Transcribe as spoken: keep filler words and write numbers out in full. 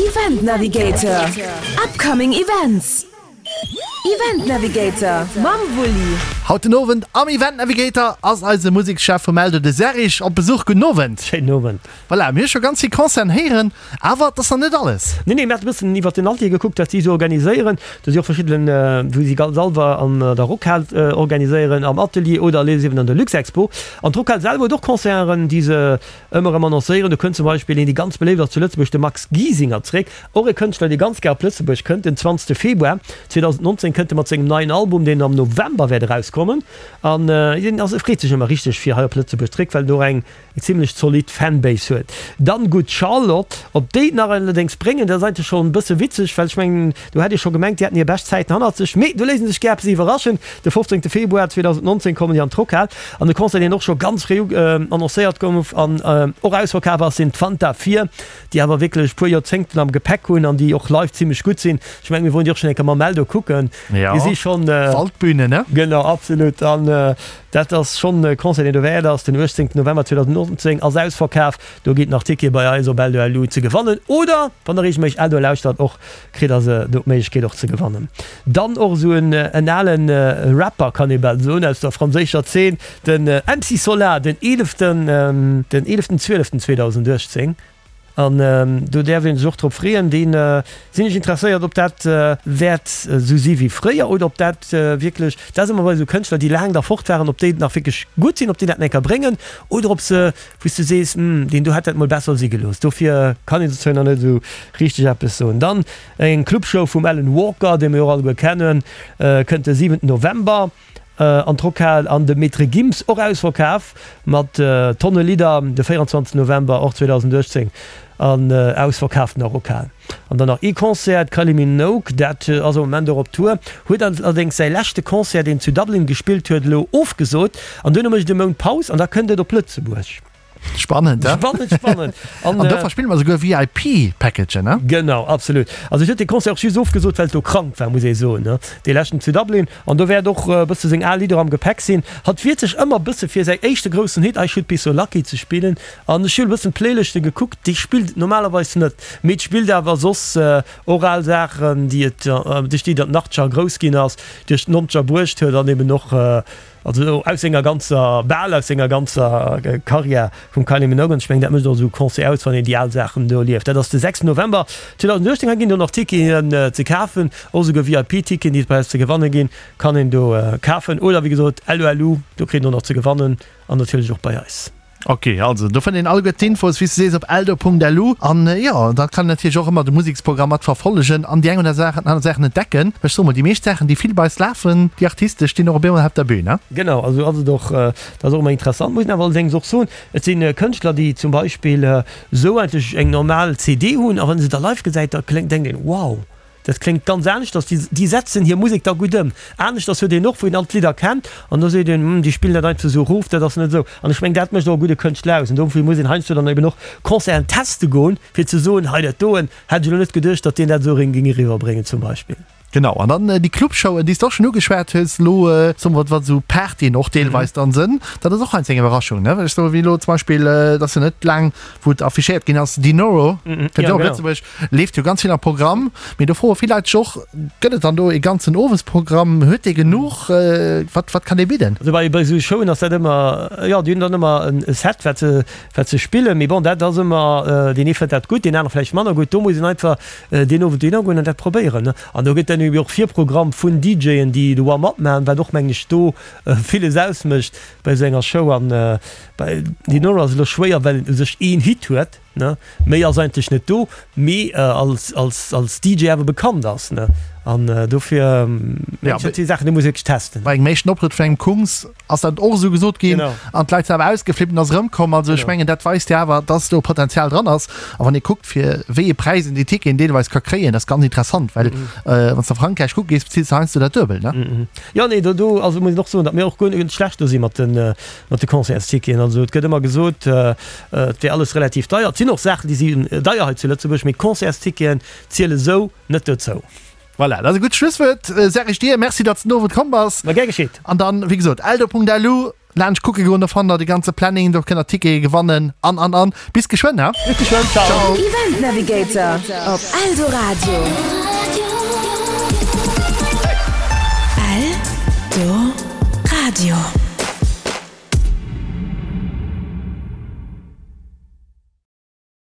Event Navigator, Upcoming Events. Event Navigator mam Wulli. Haut den Owend am Event Navigator ass eise Musekschef vum Eldo, de Serge, op Besuch. Gudden Owend. Schéinen Owend. Voilà, mir hu scho ganz vill Concerten héieren, awer et ass nach net alles. Nee, nee, mir hate bëssen iwwert den Atelier gekuckt, wat si esou organiséieren. Do si och verschidden, wou si ganz selwer an der Rockhal organiséieren, am Atelier oder les eben an der Luxexpo. An d'Rockhal selwer huet och Concerten, déi se ëmmer erëm annoncéieren. Do kënnt zum Beispill een, dee ganz beléift ass zu Lëtzebuerg, de Max Giesinger zréck. Och e Kënschtler, dee ganz gär op Lëtzebuerg kënnt. Den zwanzegste Februar zweedausendnonzéng kënnt e mat sengem neien Album, deen am November wäert erauskommen. An hien ass, e freet sech ëmmer richteg, fir hei op Lëtzebuerg zréck, well en och eng zimmlech zolidd Fanbase huet. Dann Good Charlotte, ob déi et nach allerdéngs bréngen, dat ass eigentlech schonn e bësse witzeg, well ech mengen, do hätt ee scho gemengt, déi hätten hir bescht Zäiten hannert sech, mee do léise sech gär eppes iwwerraschen. De fofzéngte Februar zweedausendnonzéng kommen déi an d'Rockhal an de Concert, deen och scho ganz fréi annoncéiert gouf an och ausverkaf ass, sinn d'Fanta Vier, déi awer wierklech e puer Joerzéngten am Gepäck hunn an déi och live zimmlech gutt sinn. Ech mengen, mir woren déi och schonn eng Kéier mam Eldo kucken. Déi si schonn. Waldbühne, ne? Genau, absolut. An dat ass schonn e Concert, deen dowäert ass. Den uechtzéngten November zweedausendnonzéng ass ausverkaf. Do ginn et nach Tickete bei eis op Eldo.lu ze gewannen. Oder wann der reegelméisseg Eldo lauschtert och, kritt der se do d'Méiglechkeet och ze gewannen. Dann och esou en en alen Rapper, kann ee bal soen, aus der franséischer Zeen, den M C Solar, den eeleften den eeleften zwieleften zweedausenduechtzéng. An do däerf ee sech och drop freeën. Dee sinn ech interesséiert, ob dat wäert esou si wéi fréier oder ob dat wierklech, dat ass ëmmer bei esou Kënschtler, déi laang da fort waren, ob déi nach wierklech gutt sinn, ob déi dat nach eng Kéier bréngen oder ob se, wou s du sees, Hm, deen do hätt dat mol besser si gelooss. Dofir kann een dozou nach net esou richteg eppes soen. Dann eng Clubshow vum Alan Walker, dee mir jo och alleguer kennen, kënnt de siwenten November an d'Rockhal an de Maître Gims, och ausverkaf mat Tonne Lidder, de véierundzwanzegsten November och zweedausenduechtzéng an ausverkaaftener Rockhal. An dann nach ee Concert, d'Kylie Minogue, dat ass am Moment och op Tour, huet allerdéngs säi leschte Concert, deen zu Dublin gespillt huet, elo ofgesot an duerno mécht e Mount Paus an da kënnt et op Lëtzebuerg. Spannend, he? Spannend, spannend. An do verspille mer souguer V I P-Packagen, ne? Genau, absolut. Also ech huet dee Concert och just ofgesot, well et do krank war, muss ee soen, ne? Dee leschten zu Dublin. An do wäert och e bësse seng al Lidder am Gepäck sinn. Hatt wiert sech ëmmer e bësse fir säi éischte groussen Hit I Should Be So Lucky ze spillen. An ech hunn e bëssen d'Playlëschte gekuckt, déi spillt et normalerweis net, mee et spillt awer soss och al Saachen, déi et, duerch déi et an den Achtzeger grouss ginn ass, duerch d'Nonzeger bruecht huet an eben och, Also aus senger ganzer, bal aus senger ganzer Karriär vum Kylie Minogue. An ech mengen, dat mécht och esou e Concert aus, wann een déi al Saachen do erlieft. Dat ass de sechsten November zweedausenduechtzéng. Hei ginn do nach Ticketen ze kafen, och esouguer V I P-Ticketen, déi et bei eis ze gewanne ginn, kann een do kafen. Oder wéi gesot L O L U, do kritt een och nach ze gewannen an natierlech och bei eis. Ok, also do fënnt een alleguer d'Infos, wéi s de sees, op eldo Punkt L U. An jo, da kann een natierlech och ëmmer de Museksprogramm mat verfollegen an déi eng oder aner Saachen entdecken. Well ech soe mol, déi meescht Saachen, déi vill bei eis lafen, déi Artiste stinn och op eemol op der Bühn, ne? Genau, also ass et och, dat ass och ëmmer interessant. Muss een awer allerdéngs och soen, et si Kënschtler, déi zum Beispill esou eigentlech eng normal C D hunn a wann ee se da live gesäit, da kléngt, denkt een, wow! Dat kléngt ganz aneschters. Déi, déi setzen hir Musek da gutt ëm. Aneschters huet een och, wou een all d'Lidder kennt, an da seet een, Hm, déi spillen dat einfach esou erof, dat ass net esou. An ech mengen, dat mécht och e gudde Kënschtler aus. An dofir muss een heiansdo dann eben och Concerten teste goen, fir ze soen, hei dat doen hätt ech elo net geduecht, datt deen dat esou ereng géing eriwwerbréngen zum Beispill. Genau, an dann déi Clubshowen, déi s de och schonn ugeschwat hues, elo soe mer, wat esou Partyen och deelweis dann sënn, dat ass och heiansdo eng Iwwerraschung, ne? Well ech soe wéi elo zum Beispill, et ass jo net laang, wou et affichéiert ginn ass, Dinoro kënnt jo och op Lëtzebuerg, leeft jo ganz vill am Programm, mee do froe vill Leit sech och, Gëtt et dann do ee ganzen Owesprogramm? Huet dee genuch? Wat, wat kann dee bidden? Also bei, bei esou Showen ass dat ëmmer, jo, déi hunn dann ëmmer e Set, wat se, wat se spillen, mee bon, dat ass ëmmer, deen ee fënnt dat gutt, deen anere vläicht manner gutt. Do muss een einfach deen Owend dohinner goen an dat probéieren. An do gëtt dann ebe och Virprogramm vun D Jën, déi de Warm-up maachen, wat och, mengen ech, do villes ausmécht bei esou enger Show. An bei Dinoro ass et elo schwéier, well en u sech een Hit huet, ne, méi ass eigentlech net do, mee als, als, als D J awer bekannt ass, ne. An dofir, Ja, dat si Saachen, déi muss ee wierklech testen. Bei engem éischten Optrëtt vun engem Kungs ass dat och esou gesot ginn Genau. an d'Leit sinn awer ausgeflippt an ass erëmkomm. Also ech Genau. mengen, dat weist jo awer, dass do Potenzial dran ass. A wann ee kuckt, fir wéi ee Präis een déi Ticketen deelweis ka kréien, dat ass ganz interessant, well wann s de a Frankräich kucke gees, bezils de heiansdo dat Duebelt, ne? Jo, nee, do, do, also muss een och soen, datt mir och guer net schlecht do si mat de, mat de Concertsticketen. Also et gëtt ëmmer gesot, et wär alles relativ deier. Et sinn och Saachen, déi sinn deier hei zu Lëtzebuerg, mee d'Concertsticketen ziele sou net dozou. Voilà, dat ass e gutt Schlusswuert. Serge, dir Merci, datt s de den Owend komm bass. Ma gär geschitt. An dann, wéi gesot, eldo Punkt lu. Laanscht kucke goen, do fannt der de ganze Planning, do kënnt der Tickete gewannen an an an. Bis geschwënn, he? Bis geschwënn, ciao! Event Navigator op Eldoradio. Eldoradio.